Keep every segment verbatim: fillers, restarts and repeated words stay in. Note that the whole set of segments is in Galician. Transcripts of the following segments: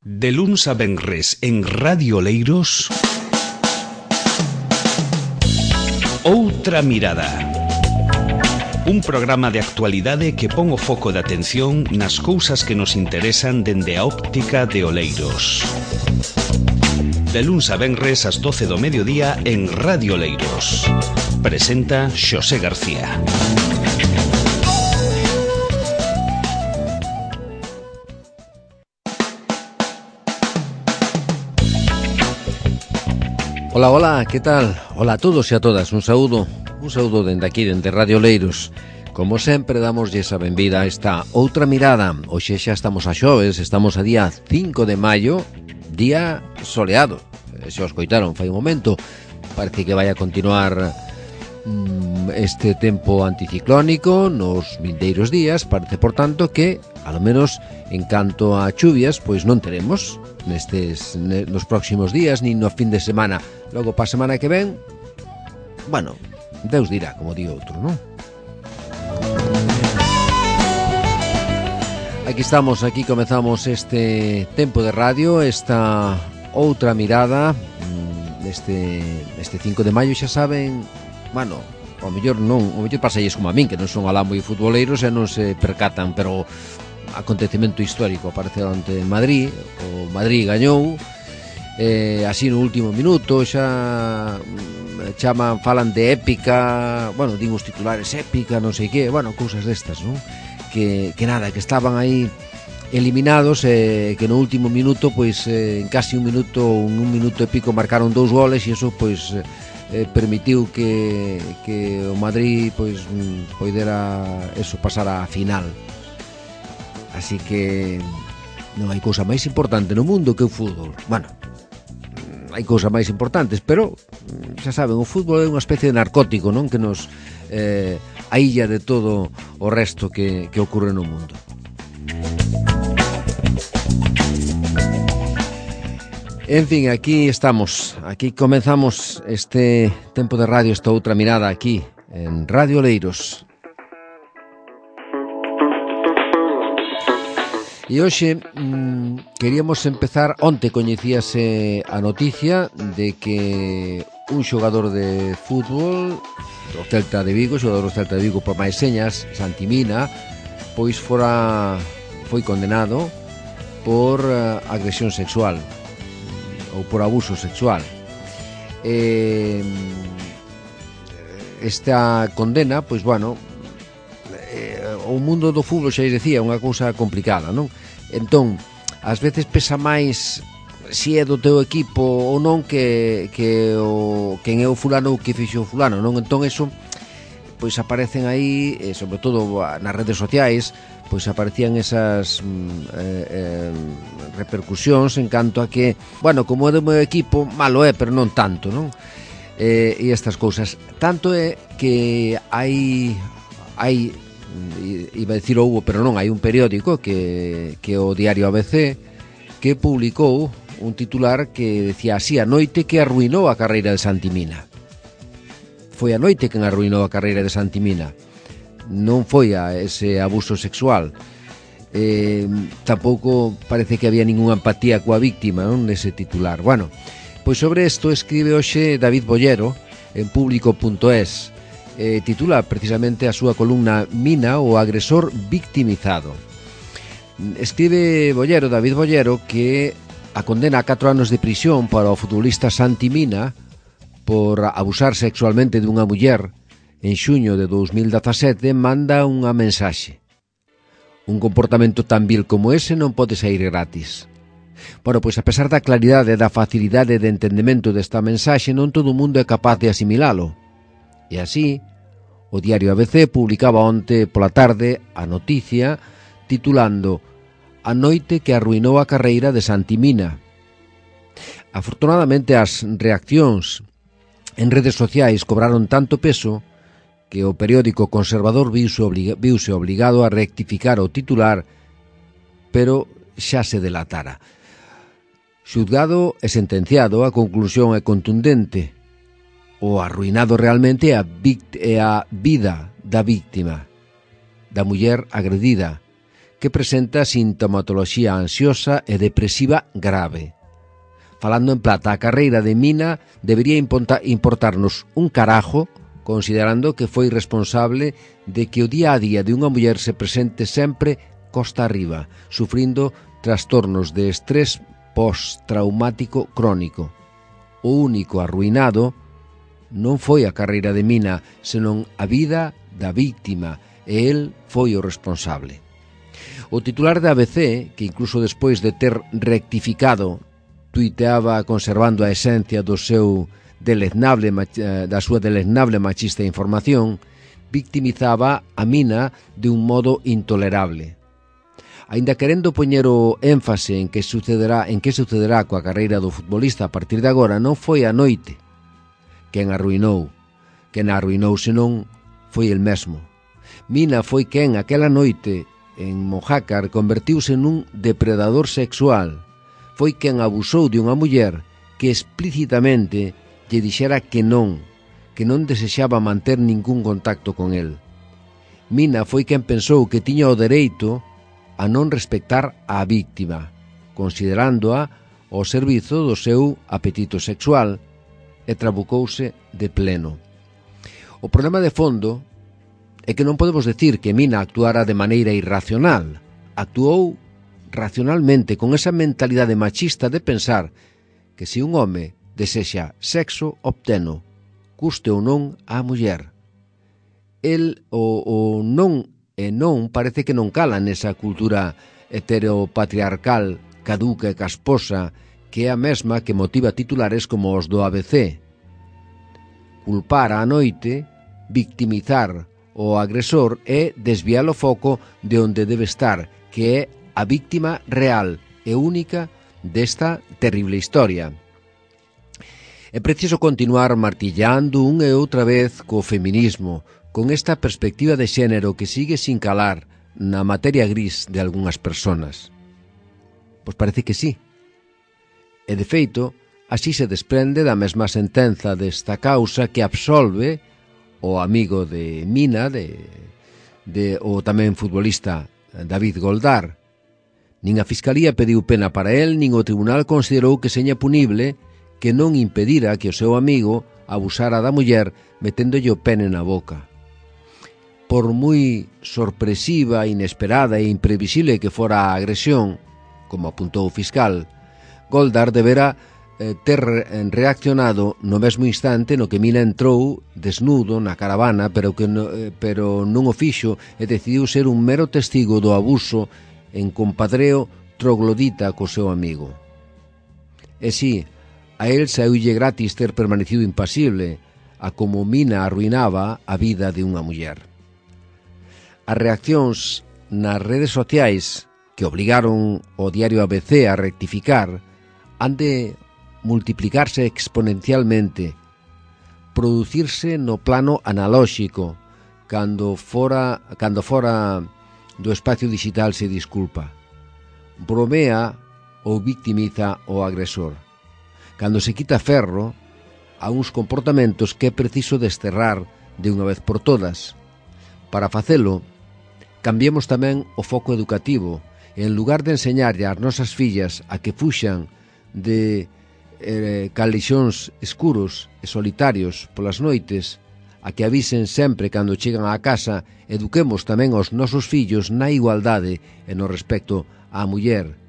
De luns a venres en Radio Oleiros, Outra Mirada. Un programa de actualidade que pon o foco de atención nas cousas que nos interesan dende a óptica de Oleiros. De luns a venres ás doce do mediodía en Radio Oleiros. Presenta Xosé García. Hola, hola, que tal? Hola a todos e a todas, un saúdo, un saúdo dende aquí, dende Radio Oleiros. Como sempre, damoslle esa benvida a esta outra mirada. Hoxe xa estamos a xoves, estamos a día cinco de maio, día soleado. Se os coitaron fai un momento, parece que vai a continuar mm, este tempo anticiclónico nos vindeiros días. Parece, por tanto, que, alo menos, en canto a chuvias, pois non teremos nestes nos próximos días, nin no fin de semana. Logo, pa semana que ven, bueno, Deus dirá, como di outro, non? Aquí estamos, aquí comezamos este tempo de radio, esta outra mirada, neste, neste cinco de maio, xa saben, bueno, ao mellor non, ao mellor pasalles como a min, que non son alá moi futboleiros e non se percatan, pero acontecemento histórico apareceu ante Madrid, o Madrid gañou, eh, así no último minuto, xa chaman, falan de épica, bueno, din os titulares épica, non sei que, bueno, cousas destas, non? Que, que nada, que estaban aí eliminados, eh, que no último minuto, pois, eh, en casi un minuto, un, un minuto e pico marcaron dous goles e iso, pois, eh, permitiu que, que o Madrid, pois, poidera eso, pasar á final. Así que non hai cousa máis importante no mundo que o fútbol. Bueno, hai cousas máis importantes, pero xa saben, o fútbol é unha especie de narcótico, non? Que nos eh, aílla de todo o resto que, que ocorre no mundo. En fin, aquí estamos, aquí comenzamos este tempo de radio, esta outra mirada aquí en Radio Oleiros. E hoxe mmm, queríamos empezar. Onte coñecíase a noticia de que un xogador de fútbol do Celta de Vigo, xogador do Celta de Vigo por máis señas, Santi Mina, pois fora foi condenado por uh, agresión sexual ou por abuso sexual. Eh, esta condena, pois bueno, o mundo do fútbol, xa dicía, unha cousa complicada, non? Entón, ás veces pesa máis si é do teu equipo ou non que, que o, quen é o fulano ou que fixo o fulano, non? Entón, eso, pois aparecen aí, e sobre todo nas redes sociais, pois aparecían esas eh, eh, repercusións en canto a que, bueno, como é do meu equipo, malo é, pero non tanto, non? Eh, e estas cousas. Tanto é que hai hai iba a decir houbo, pero non, hai un periódico que, que o diario A B C, que publicou un titular que decía así: a noite que arruinou a carreira de Santi Mina. Foi a noite que arruinou a carreira de Santi Mina, non foi a ese abuso sexual. Eh, tampouco parece que había ningunha empatía coa víctima, non, nese titular. Bueno, pois sobre isto escribe hoxe David Bollero en público punto es. Eh, titula precisamente a súa columna Mina, o agresor victimizado. Escribe Bollero, David Bollero, que a condena a catro anos de prisión para o futbolista Santi Mina por abusar sexualmente dunha muller en xuño de dous mil dezasete manda unha mensaxe: un comportamento tan vil como ese non pode sair gratis. Bueno, pois a pesar da claridade e da facilidade de entendemento desta mensaxe, non todo o mundo é capaz de asimilalo. E así, o diario A B C publicaba onte pola tarde a noticia titulando a noite que arruinou a carreira de Santi Mina. Afortunadamente, as reaccións en redes sociais cobraron tanto peso que o periódico conservador viuse, obliga, viuse obligado a rectificar o titular, pero xa se delatara. Xulgado e sentenciado, a conclusión é contundente: o arruinado realmente é a, vict- é a vida da víctima, da muller agredida, que presenta sintomatoloxía ansiosa e depresiva grave. Falando en plata, a carreira de Mina debería importarnos un carajo, considerando que foi responsable de que o día a día de unha muller se presente sempre costa arriba, sufrindo trastornos de estrés postraumático crónico. O único arruinado non foi a carreira de Mina, senón a vida da víctima, e el foi o responsable. O titular da A B C, que incluso despois de ter rectificado, tuiteaba conservando a esencia do seu deleznable, da súa deleznable machista información, victimizaba a Mina de un modo intolerable. Aínda querendo poñer o énfase en que sucederá, en que sucederá coa carreira do futbolista a partir de agora, non foi a noite quen arruinou, quen a arruinou senón foi el mesmo. Mina foi quen aquela noite en Mojácar convertiuse nun depredador sexual. Foi quen abusou de unha muller que explícitamente lle dixera que non, que non desexaba manter ningún contacto con el. Mina foi quen pensou que tiña o dereito a non respectar á víctima, considerándoa ao servizo do seu apetito sexual, e trabucouse de pleno. O problema de fondo é que non podemos decir que Mina actuara de maneira irracional. Actuou racionalmente con esa mentalidade machista de pensar que se un home desexa sexo, obteno, custe ou non á muller. El o, o non e non parece que non cala nesa cultura heteropatriarcal, caduca e casposa, que é a mesma que motiva titulares como os do A B C. Culpar á noite, victimizar o agresor é desviar o foco de onde debe estar, que é a víctima real e única desta terrible historia. É preciso continuar martillando unha e outra vez co feminismo, con esta perspectiva de xénero que sigue sin calar na materia gris de algunhas personas. Pois parece que sí. E de feito, así se desprende da mesma sentenza desta causa que absolve o amigo de Mina, de, de, o tamén futbolista David Goldar. Nin a Fiscalía pediu pena para el, nin o Tribunal considerou que seña punible que non impedira que o seu amigo abusara da muller meténdolle o pene na boca. Por moi sorpresiva, inesperada e imprevisible que fora a agresión, como apuntou o fiscal, Goldar debera eh, ter reaccionado no mesmo instante no que Mina entrou desnudo na caravana, pero, que no, eh, pero non o fixo e decidiu ser un mero testigo do abuso en compadreo troglodita co seu amigo. E si, a el saíulle gratis ter permanecido impasible, a como Mina arruinaba a vida de unha muller. As reaccións nas redes sociais que obligaron o diario A B C a rectificar han de multiplicarse exponencialmente, producirse no plano analóxico, cando fora, cando fora do espacio digital se disculpa. Bromea ou victimiza o agresor. Cando se quita ferro a uns comportamentos que é preciso desterrar de unha vez por todas. Para facelo, cambiemos tamén o foco educativo e en lugar de enseñarlle ás nosas fillas a que fuxan de eh, calixóns escuros e solitarios polas noites, a que avisen sempre cando chegan á casa, eduquemos tamén aos nosos fillos na igualdade e no respecto á muller,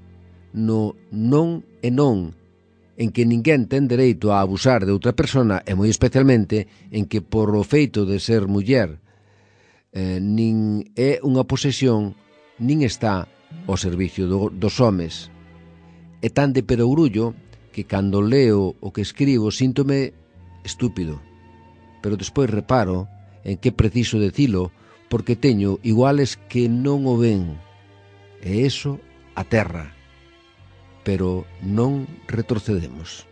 no non e non, en que ninguén ten dereito a abusar de outra persona e moi especialmente en que por o feito de ser muller eh, nin é unha posesión nin está ao servicio do, dos homes. É tan de perogrullo que cando leo o que escribo síntome estúpido, pero despois reparo en que preciso decilo porque teño iguales que non o ven e eso aterra, pero non retrocedemos.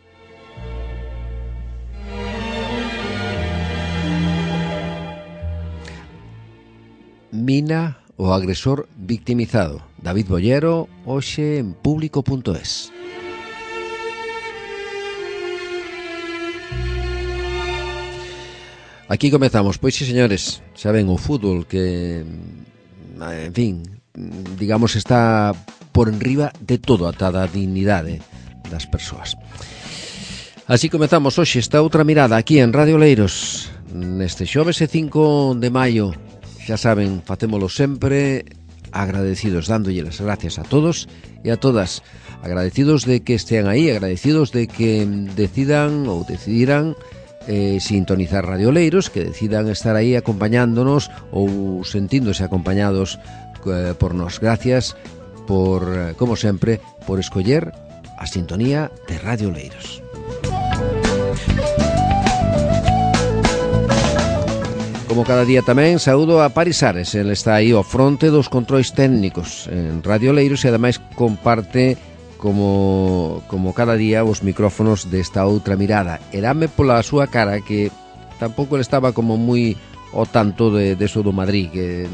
Mina, o agresor victimizado. David Bollero, hoxe en público punto es. Aquí comezamos, pois sí, señores, xa ven o fútbol que, en fin, digamos, está por enriba de todo, ata da dignidade das persoas. Así comezamos hoxe esta outra mirada aquí en Radio Oleiros, neste xoves e cinco de maio. Xa saben, facémolo sempre agradecidos, dándolle as gracias a todos e a todas, agradecidos de que estean aí, agradecidos de que decidan ou decidiran eh, sintonizar Radio Oleiros, que decidan estar aí acompañándonos ou sentíndose acompañados eh, por nos. Gracias por, como sempre, por escoller a sintonía de Radio Oleiros. Como cada día tamén, saúdo a Paris Ares. Ele está aí ao fronte dos controis técnicos en Radio Oleiros e ademais comparte como, como cada día os micrófonos desta outra mirada. Erame pola súa cara que tampouco ele estaba como moi ao tanto de, de eso do Madrid, que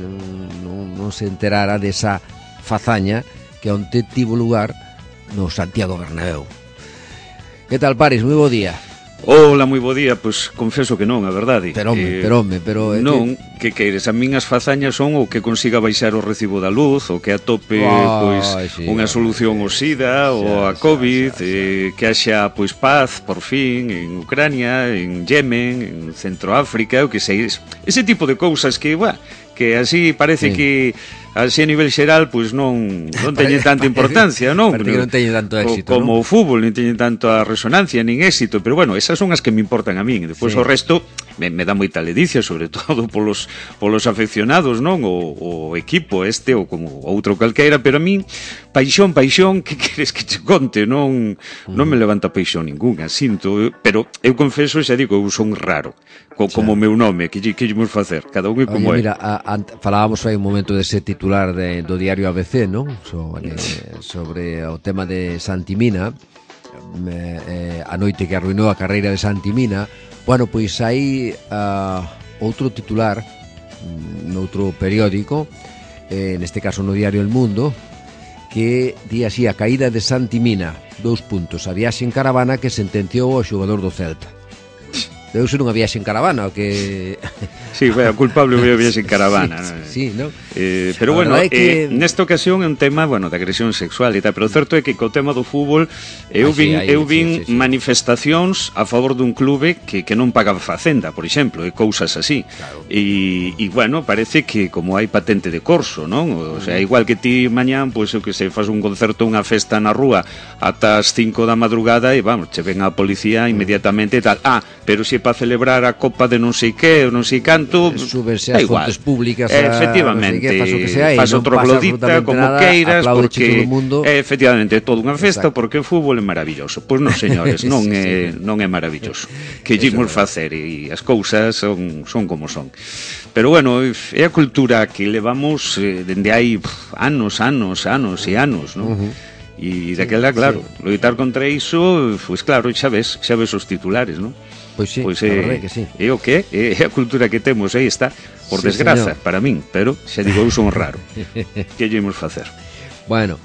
non, non se enterara desa fazaña que onte tivo lugar no Santiago Bernabéu. Que tal, Paris? Moi bo día. Hola, moi bo día, pois confeso que non, a verdade. Pero home, eh, pero home, pero non, que... que queires, a min as fazañas son o que consiga baixar o recibo da luz, o que atope oh, pois sí, unha solución ao SIDA ou a COVID, xa, xa, xa. Eh, que haxa pois paz, por fin, en Ucrania, en Yemen, en Centroáfrica, o que sei, ese tipo de cousas que, buah, que así parece sí. que así a nivel xeral, pois non non teñen tanta importancia, non? Parece que non teñen tanto éxito, o, como non? o fútbol, non teñen tanto a resonancia, nin éxito, pero bueno, esas son as que me importan a min, e despois sí. o resto me, me dá moita ledicia, sobre todo polos, polos afeccionados, non? O, o equipo este, ou como outro calqueira, pero a min, paixón, paixón, que queres que te conte? Non, non me levanta paixón ninguna, sinto, pero eu confeso, xa digo, eu son raro, co, como o meu nome, que lle queremos facer, cada un é como Oye, é. Mira, a, a, falábamos aí un momento dese titular de, do diario A B C, non? Sobre, sobre o tema de Santimina, eh, a noite que arruinou a carreira de Santimina. Bueno, pois hai uh, outro titular noutro periódico, eh, neste caso no diario El Mundo, que di así: a caída de Santimina, dous puntos, a viaxe en caravana que sentenciou ao xogador do Celta. Deu ser unha viaxe en caravana, o que... Sí, foi a culpable foi a viaxe en caravana. Sí, sí, ¿no? Eh, pero bueno, é que... eh, nesta ocasión é un tema, bueno, de agresión sexual e tal, pero o certo é que co tema do fútbol eu vin, ah, sí, eu vin sí, sí, sí. manifestacións a favor dun clube que, que non pagaba facenda, por exemplo, e cousas así. Claro. E, e bueno, parece que como hai patente de corso, non? O sea, igual que ti mañán, pois eu que sei, faz un concerto, unha festa na rúa ata as cinco da madrugada e vamos, che ven a policía inmediatamente e tal. Ah, pero se para celebrar a copa de non sei que, ou non sei canto, súbese as fontes públicas, a, efectivamente, no sei que, sea, faz outro glodita como nada, queiras, porque mundo. É, efectivamente, é toda unha festa. Exacto. Porque o fútbol é maravilloso. Pois non, señores, non sí, é sí. non é maravilloso. Que ímos facer e as cousas son son como son. Pero bueno, é a cultura que levamos eh, dende hai pff, anos, anos, anos e anos, non? Uh-huh. E daquela, claro, sí. loitar contra iso, pois claro, xa ves, xa ves os titulares, non? Pois sí, pois, a eh, verdade que sí. É o que é a cultura que temos, aí está, por sí, desgraza, señor. Para min, pero xa digo, eu son raro. Que llevamos facer? Bueno,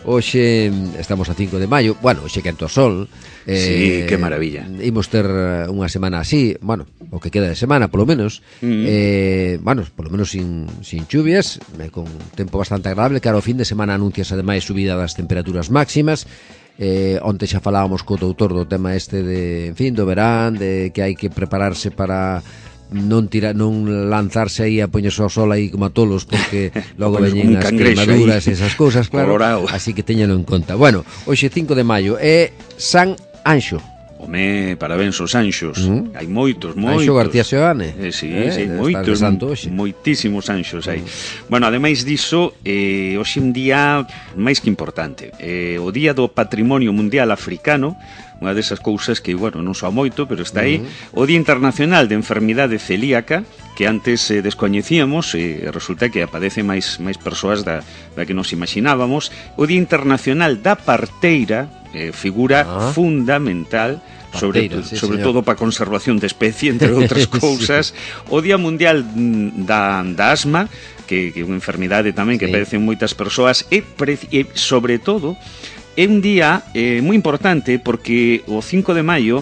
hoxe estamos a cinco de maio, bueno, hoxe quento o sol. Eh, sí, que maravilla. Imos ter unha semana así, bueno, o que queda de semana, polo menos, mm. eh, bueno, polo menos sin, sin chuvias, eh, con tempo bastante agradable, que ao fin de semana anuncias ademais subida das temperaturas máximas. Eh, onte xa falábamos co doutor do tema este de, en fin, do verán, de que hai que prepararse para non tira, non lanzarse aí a poñerse ao sol aí como a tolos, porque logo veñen as queimaduras e esas cousas, claro. Colorado. Así que teñalo en conta. Bueno, hoxe cinco de maio é San Anxo. Home, parabéns aos anxos. Uh-huh. Hai moitos, moitos. Anxo García Seoane. Eh, sí, eh, sí, moitos, moitísimos anxos hai. Uh-huh. Bueno, ademais diso, eh, hoxe un día máis que importante. Eh, o Día do Patrimonio Mundial Africano, unha desas cousas que, bueno, non soa moito, pero está aí. Uh-huh. O Día Internacional de Enfermidade Celíaca, que antes eh, descoñecíamos, e eh, resulta que aparece máis máis persoas da, da que nos imaginábamos. O Día Internacional da Parteira, eh, figura ah. fundamental, sobre, Parteira, sí, sobre todo para a conservación de especie, entre outras cousas. Sí. O Día Mundial da, da Asma, que é unha enfermidade tamén que sí. padecen moitas persoas, e, e sobre todo é un día eh, moi importante porque o cinco de maio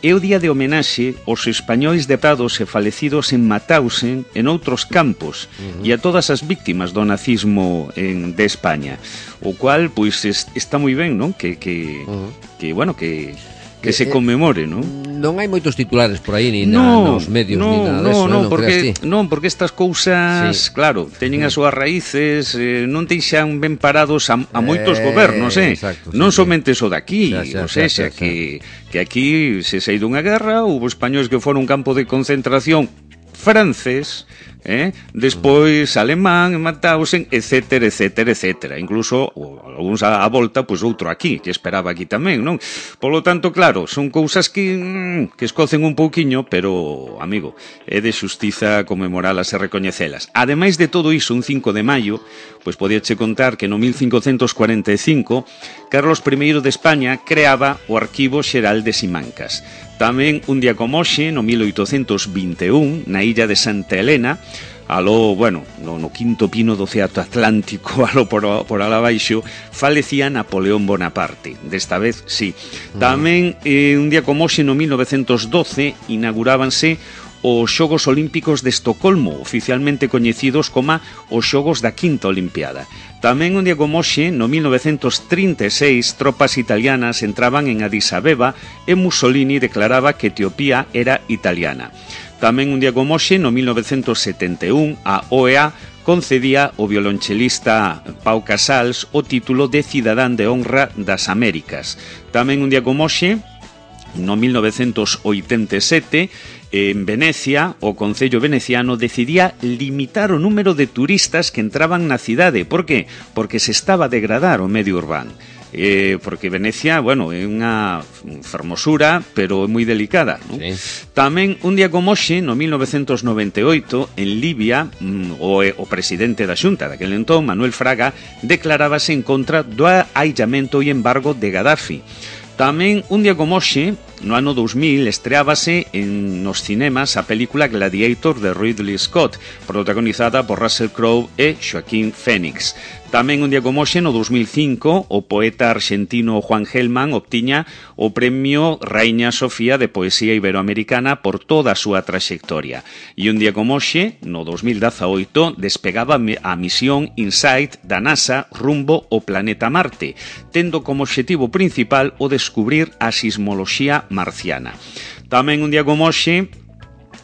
é o día de homenaxe aos españois deprados e falecidos en Mauthausen e noutros campos uh-huh. e a todas as víctimas do nazismo en, de España, o cual, pois, es, está moi ben, non? Que, que, uh-huh. que bueno, que... que se conmemore, non? Non hai moitos titulares por aí, ni no, na, nos medios, no, ni nada no, deso, no, non porque, non, porque estas cousas, sí. claro, teñen as súas raíces, eh, non deixan ben parados a, a moitos eh, gobernos, eh? Exacto, non sí, somente sí. o daqui, xa, xa, o sea, xa, xa, que, que aquí se sei dunha guerra, houve españois que foron un campo de concentración francés, eh? despois alemán, Mauthausen, etcétera, etcétera, etcétera. Incluso algúns a, a volta, pois outro aquí, que esperaba aquí tamén, non? Polo tanto, claro, son cousas que mm, que escocen un pouquiño, pero, amigo, é de xustiza conmemoralas e recoñecelas. Ademais de todo iso, un cinco de maio, pois podíache contar que no mil cincocentos cuarenta e cinco Carlos primeiro de España creaba o Arquivo Xeral de Simancas. Tamén un día como hoxe, no mil oitocentos vinte e un, na illa de Santa Helena, aló, bueno, no, no quinto pino do Océano Atlántico, aló por, por alá baixo, falecía Napoleón Bonaparte. Desta vez, sí. Tamén, eh, un día como hoxe, no mil novecentos doce, inaugurábanse os Xogos Olímpicos de Estocolmo, oficialmente coñecidos como os Xogos da Quinta Olimpiada. Tamén un día como hoxe, no mil novecentos trinta e seis, tropas italianas entraban en Addis Abeba e Mussolini declaraba que Etiopía era italiana. Tamén un día como hoxe, no mil novecentos setenta e un, a O E A concedía ao violonchelista Pau Casals o título de Cidadán de Honra das Américas. Tamén un día como hoxe, no mil novecentos oitenta e sete, en Venecia, o Concello Veneciano decidía limitar o número de turistas que entraban na cidade. Por que? Porque se estaba a degradar o medio urbano. Eh, porque Venecia, bueno, é unha fermosura, pero é moi delicada, non? Sí. Tamén, un día como hoxe, no mil novecentos noventa e oito, en Libia, o, o presidente da Xunta daquel entón, Manuel Fraga, declarábase en contra do aillamento e embargo de Gaddafi. Tamén, un día como hoxe, no ano dous mil, estreábase en nos cinemas a película Gladiator de Ridley Scott, protagonizada por Russell Crowe e Joaquín Phoenix. Tamén un día como hoxe, no dous mil cinco, o poeta argentino Juan Gelman obtiña o premio Rainha Sofía de Poesía Iberoamericana por toda a súa traxectoria. E un día como hoxe, no dous mil dezaoito, despegaba a misión InSight da NASA rumbo ao planeta Marte, tendo como obxectivo principal o descubrir a sismoloxía marciana. Tamén un día como hoxe,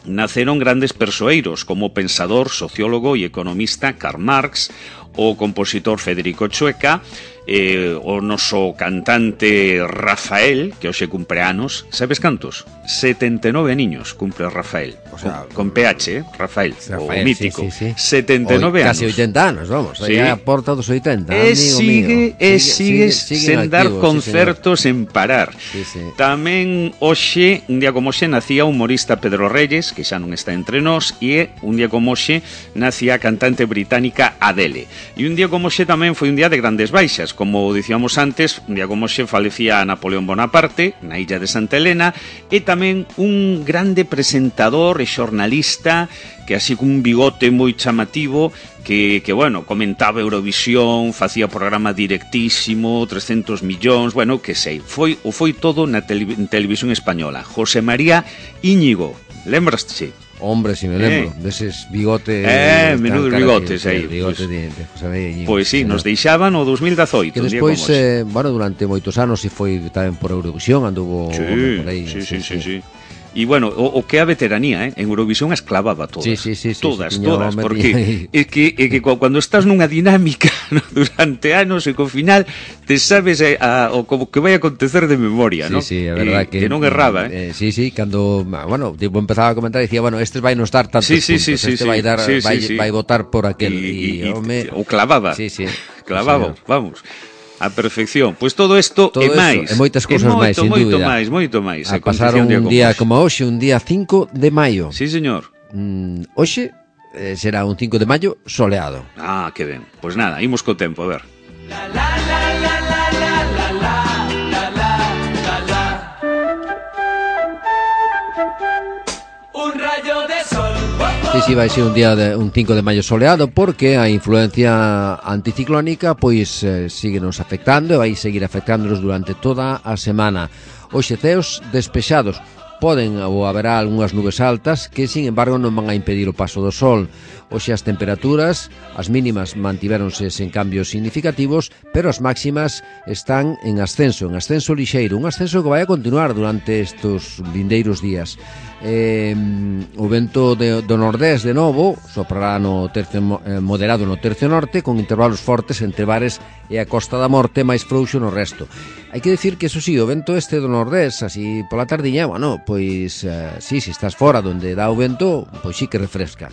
naceron grandes persoeiros como o pensador, sociólogo e economista Karl Marx, o compositor Federico Chueca, eh, o noso cantante Rafael, que hoxe cumpre anos, sabes cantos? setenta e nove niños cumpre Rafael, o sea, con, con P H, eh? Rafael, Rafael, o mítico, sí, sí, sí. setenta e nove anos. Casi oitenta anos, vamos, sí. Aí a porta dos oitenta, e sigue, mío. E sigue, sigue, sigue sen dar activo, concertos sí, sen parar. Sí, sí. Tamén hoxe, un día como hoxe, nacía o humorista Pedro Reyes, que xa non está entre nós, e un día como hoxe nacía a cantante británica Adele. E un día como hoxe tamén foi un día de grandes baixas. Como dicíamos antes, un día como hoxe falecía Napoleón Bonaparte na illa de Santa Helena, e tamén un grande presentador e xornalista que así con un bigote moi chamativo que, que bueno, comentaba Eurovisión, facía programa directísimo, trescentos millóns, bueno, que sei, foi o foi todo na tele, televisión española. José María Íñigo, lembraste? Hombre, si me lembro, eh. deses bigotes... Eh, menudos bigotes aí. Bigote pues, de, de José María Íñigo. Pois sí, nos deixaban o dous mil dezaoito. Que despois, eh, bueno, durante moitos anos se foi tamén por Eurovisión, anduvo sí, por aí. Sí, sí, sí, sí, sí. E bueno, o, o que a veteranía, eh? En Eurovisión as clavaba todas. Sí, sí, sí, sí, todas, sí, todas, porque é que, é que cando estás nunha dinámica, ¿no? Durante anos e co final te sabes eh, a, o como que vai acontecer de memoria, sí, ¿no? Sí, sí, é verdade eh, que, que non erraba, eh? eh Sí, sí, cando, bueno, tipo empezaba a comentar, dicía, bueno, estes vai nos dar tantos sí, sí, puntos, sí, este sí, vai dar sí, vai, sí, sí. vai votar por aquel e, e, e, home, o clavaba. Sí, sí. Clavaba, vamos. A perfección. Pois todo isto e máis. E moitas cousas máis, sin moito, dúbida. Moito máis, moito máis. A pasar un día, día como hoxe, un día cinco de maio. Sí, señor. Mm, hoxe eh, será un cinco de maio soleado. Ah, que ben. Pois nada, imos co tempo, a ver. La, la, la, la, la, la, la, la, la, la, la. Un rayo de sol. Sí, sí, vai ser un día de, un cinco de maio soleado porque a influencia anticiclónica pois eh, sigue nos afectando e vai seguir afectándonos durante toda a semana. Hoxe ceos despexados, Poden ou haberá algunhas nubes altas que, sin embargo, non van a impedir o paso do sol. Hoxe as temperaturas, as mínimas mantivéronse sen cambios significativos, pero as máximas están en ascenso, en ascenso lixeiro, un ascenso que vai a continuar durante estes vindeiros días. Eh, o vento de, do nordés de novo soprará no tercio, eh, moderado no tercio norte, con intervalos fortes entre Bares e a Costa da Morte, máis frouxo no resto. Hai que dicir que, eso sí, o vento este do nordés, así pola tardiña, bueno, pois, eh, sí, se estás fora donde dá o vento, pois sí que refresca.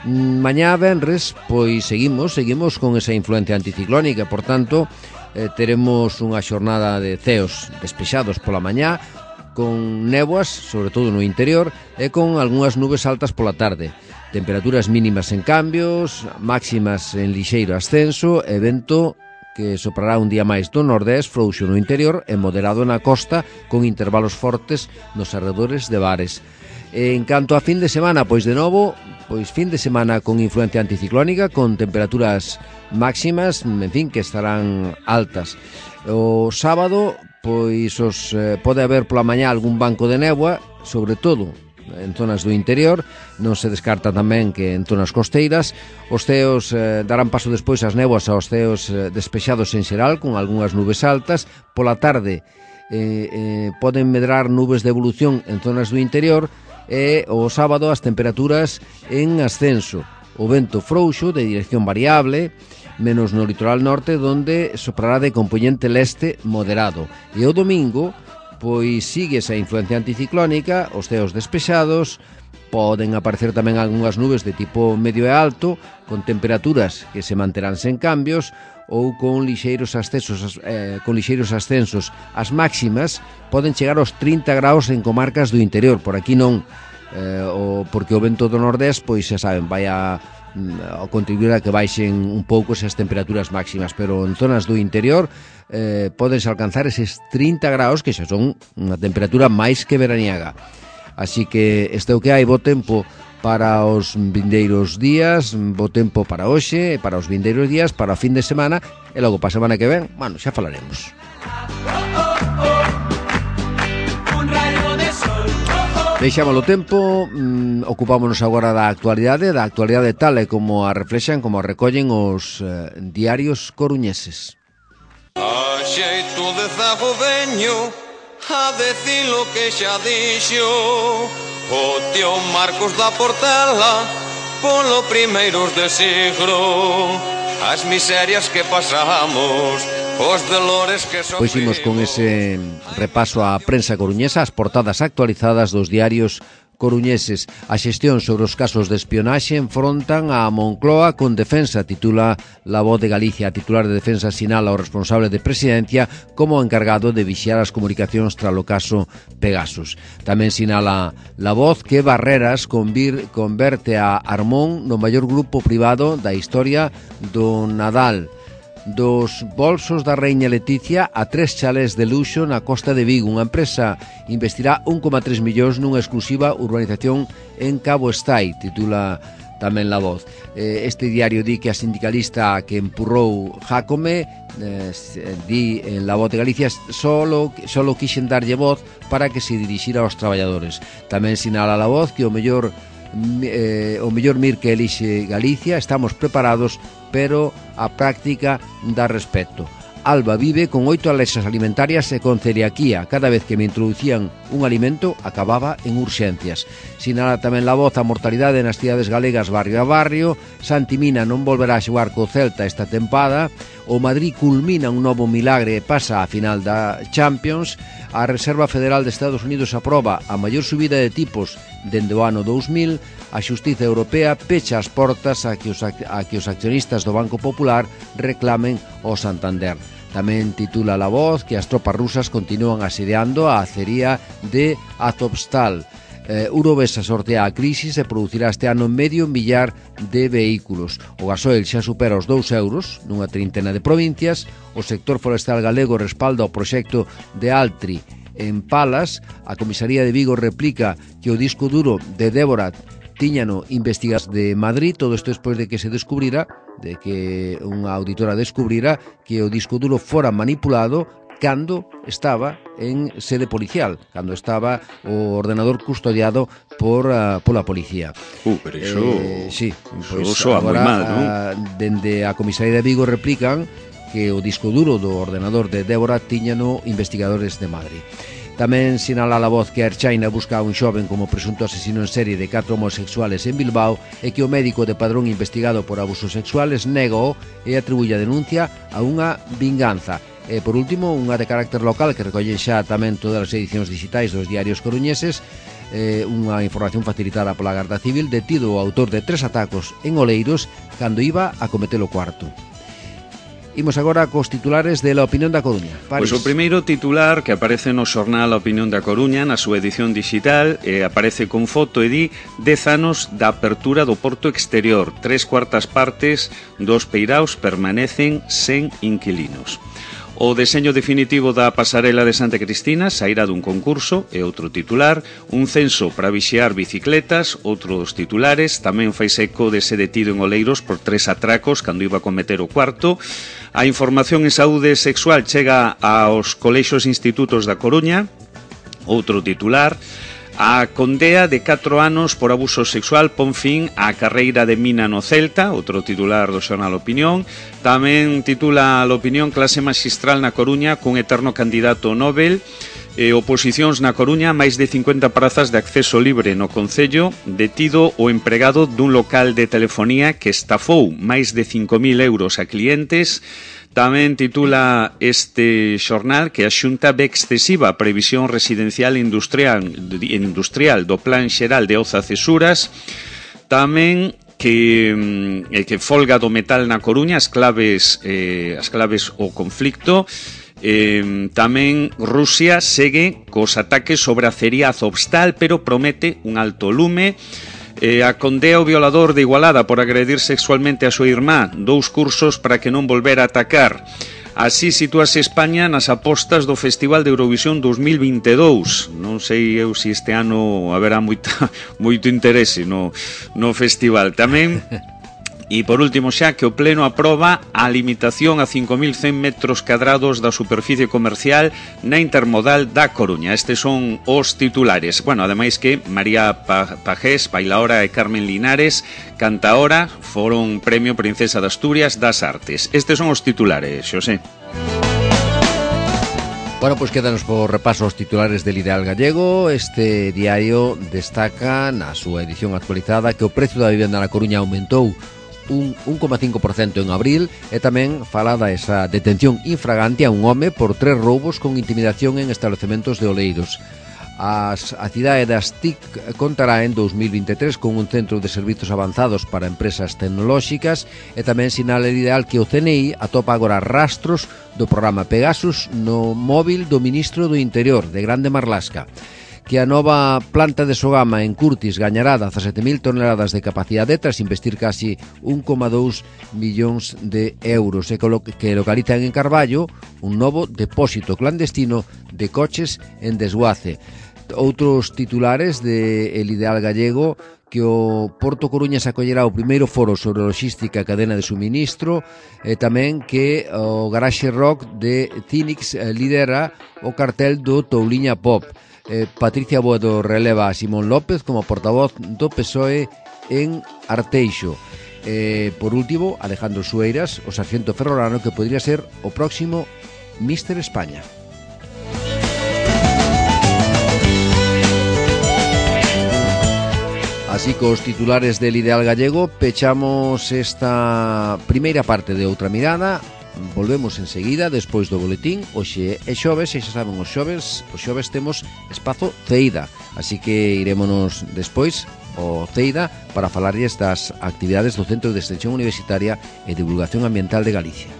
Mañá venres, pois seguimos, seguimos con esa influencia anticiclónica, por tanto, eh, teremos unha xornada de ceos despexados pola mañá, con néboas, sobre todo no interior, e con algunhas nubes altas pola tarde. Temperaturas mínimas en cambios, máximas en lixeiro ascenso, e vento que soprará un día máis do nordés, frouxo no interior e moderado na costa, con intervalos fortes nos arredores de Bares. En canto a fin de semana, pois de novo, pois fin de semana con influencia anticiclónica, con temperaturas máximas, en fin, que estarán altas. O sábado, pois os eh, pode haber pola mañá algún banco de néboa, sobre todo en zonas do interior, non se descarta tamén que en zonas costeiras. Os ceos eh, darán paso despois as néboas aos ceos eh, despexados en xeral, con algunhas nubes altas. Pola tarde eh, eh, poden medrar nubes de evolución en zonas do interior, e o sábado as temperaturas en ascenso. O vento frouxo de dirección variable, menos no litoral norte, donde soprará de componente leste moderado. E o domingo, pois sigue esa influencia anticiclónica, os ceos despexados, poden aparecer tamén algunhas nubes de tipo medio e alto, con temperaturas que se manterán sen cambios, ou con lixeiros ascensos, eh, con lixeiros ascensos. As máximas poden chegar aos trinta graus en comarcas do interior, por aquí non, eh, o, porque o vento do nordés, pois xa saben, vai a, a contribuir a que baixen un pouco esas temperaturas máximas, pero en zonas do interior eh, podense alcanzar eses trinta graus, que xa son unha temperatura máis que veraniaga. Así que este é o que hai, bo tempo para os vindeiros días, bo tempo para hoxe, para os vindeiros días, para o fin de semana, e logo para a semana que ven, bueno, xa falaremos. Deixámoslo tempo, mm, ocupámonos agora da actualidade, da actualidade tal e como a reflexan, como a recollen os eh, diarios coruñeses. A xeito de zago veño a decir lo que xa dixo o tío Marcos da Portela polo primeiros de siglo, as miserias que pasamos, os dolores que sofrimos. Pois imos con ese repaso á prensa coruñesa, as portadas actualizadas dos diarios coruñeses. A xestión sobre os casos de espionaxe enfrontan a Moncloa con Defensa, titula La Voz de Galicia. A titular de Defensa sinala ao responsable de Presidencia como encargado de vixiar as comunicacións tras o caso Pegasus. Tamén sinala La Voz que Barreras convir, converte a Armón no maior grupo privado da historia do Nadal. Dos bolsos da Reina Leticia a tres chalés de luxo na costa de Vigo. Unha empresa investirá un coma tres millóns nunha exclusiva urbanización en Cabo Estai, titula tamén La Voz. Este diario di que a sindicalista que empurrou Jácome, eh, di en La Voz de Galicia, solo, solo quixen darlle voz para que se dirixira aos traballadores. Tamén sinala La Voz que o mellor eh, o mellor mir que elixe Galicia, estamos preparados, pero a práctica dá respecto. Alba vive con oito alerxas alimentarias e con celiaquía. Cada vez que me introducían un alimento acababa en urxencias. Sinala tamén La Voz a mortalidade nas cidades galegas barrio a barrio. Santi Mina non volverá a xogar co Celta esta tempada. O Madrid culmina un novo milagre e pasa a final da Champions. A Reserva Federal de Estados Unidos aproba a maior subida de tipos dende o ano dous mil. A Xustiza Europea pecha as portas a que os, a que os accionistas do Banco Popular reclamen o Santander. Tamén titula La Voz que as tropas rusas continúan asediando a acería de Azovstal. Eh, Urovesa sortea a crisis e producirá este ano medio millar de vehículos. O gasoil xa supera os dous euros nunha trintena de provincias. O sector forestal galego respalda o proxecto de Altri en Palas. A Comisaría de Vigo replica que o disco duro de Débora tíñano investigas de Madrid, todo isto despois de que se descubrira, de que unha auditora descubrira que o disco duro fora manipulado cando estaba en sede policial, cando estaba o ordenador custodiado por uh, pola policía. Uh, pero iso... Eh, sí, iso pues soa moi mal, non? Uh, dende a comisaría de Vigo replican que o disco duro do ordenador de Débora tiñano investigadores de Madrid. Tamén sinala a voz que a Erchaina busca a un xoven como presunto asesino en serie de catro homosexuales en Bilbao e que o médico de Padrón investigado por abusos sexuales nega-o e atribuye a denuncia a unha vinganza. E, por último, unha de carácter local que recolle xa tamén todas as edicións digitais dos diarios coruñeses, eh, unha información facilitada pola Garda Civil, detido o autor de tres atacos en Oleiros cando iba a cometer o cuarto. Imos agora cos titulares de La Opinión da Coruña. Pois o primeiro titular que aparece no xornal A Opinión da Coruña na súa edición digital eh, aparece con foto e di dez anos da apertura do porto exterior. Tres cuartas partes dos peiraos permanecen sen inquilinos. O deseño definitivo da pasarela de Santa Cristina sairá dun concurso e outro titular, un censo para vixiar bicicletas, outros titulares, tamén fai seco de ser detido en Oleiros por tres atracos cando iba a cometer o cuarto. A información en saúde sexual chega aos colexios e institutos da Coruña, outro titular. A condea de catro anos por abuso sexual pon fin á carreira de mina no Celta, outro titular do xornal Opinión. Tamén titula a Opinión clase maxistral na Coruña cun eterno candidato Nobel. E oposicións na Coruña, máis de cincuenta prazas de acceso libre no Concello, detido o empregado dun local de telefonía que estafou máis de cinco mil euros a clientes. Tamén titula este xornal que a Xunta ve excesiva a previsión residencial e industrial, industrial do Plan Xeral de Oza Cesuras. Tamén que, eh, que folga do metal na Coruña, as claves, eh, as claves ao conflicto. Eh, tamén Rusia segue cos ataques sobre a acería Azovstal, pero promete un alto lume. Eh, a condea o violador de Igualada por agredir sexualmente a súa irmá, dous cursos para que non volver a atacar. Así sitúase España nas apostas do Festival de Eurovisión dos mil vinte e dous. Non sei eu se este ano haberá moita, moito interese no, no festival. Tamén... E, por último, xa que o Pleno aproba a limitación a cinco mil cen metros cadrados da superficie comercial na intermodal da Coruña. Estes son os titulares. Bueno, ademais que María Pajés, bailaora, e Carmen Linares, cantaora, foron Premio Princesa de Asturias das Artes. Estes son os titulares, Xosé. Bueno, pois pues quédanos por repaso os titulares del Ideal Gallego. Este diario destaca na súa edición actualizada que o precio da vivenda na Coruña aumentou un un coma cinco por cento en abril e tamén fala da esa detención infragante a un home por tres roubos con intimidación en establecementos de Oleiros. As, a cidade das T I C contará en dos mil vinte e tres con un centro de servizos avanzados para empresas tecnolóxicas e tamén sinala ideal que o C N I atopa agora rastros do programa Pegasus no móvil do ministro do Interior, de Grande Marlasca. Que a nova planta de Sogama en Curtis gañará dezasete mil toneladas de capacidade tras investir casi un coma dous millóns de euros e que localizan en Carballo un novo depósito clandestino de coches en desguace. Outros titulares de El Ideal Gallego, que o Porto Coruña se acollerá o primeiro foro sobre logística e cadena de suministro e tamén que o Garage Rock de Cinix lidera o cartel do Touliña Pop. Eh, Patricia Boedo releva a Simón López como portavoz do P S O E en Arteixo. Eh, por último, Alejandro Sueiras, o sargento ferrolano que podría ser o próximo míster España. Así cos titulares del Ideal Gallego pechamos esta primeira parte de Outra Mirada. Volvemos enseguida despois do boletín. Hoxe é xoves e xa saben, os xoves os xoves temos espazo Ceida, así que irémonos despois ao Ceida para falarlles das actividades do Centro de Extensión Universitaria e Divulgación Ambiental de Galicia.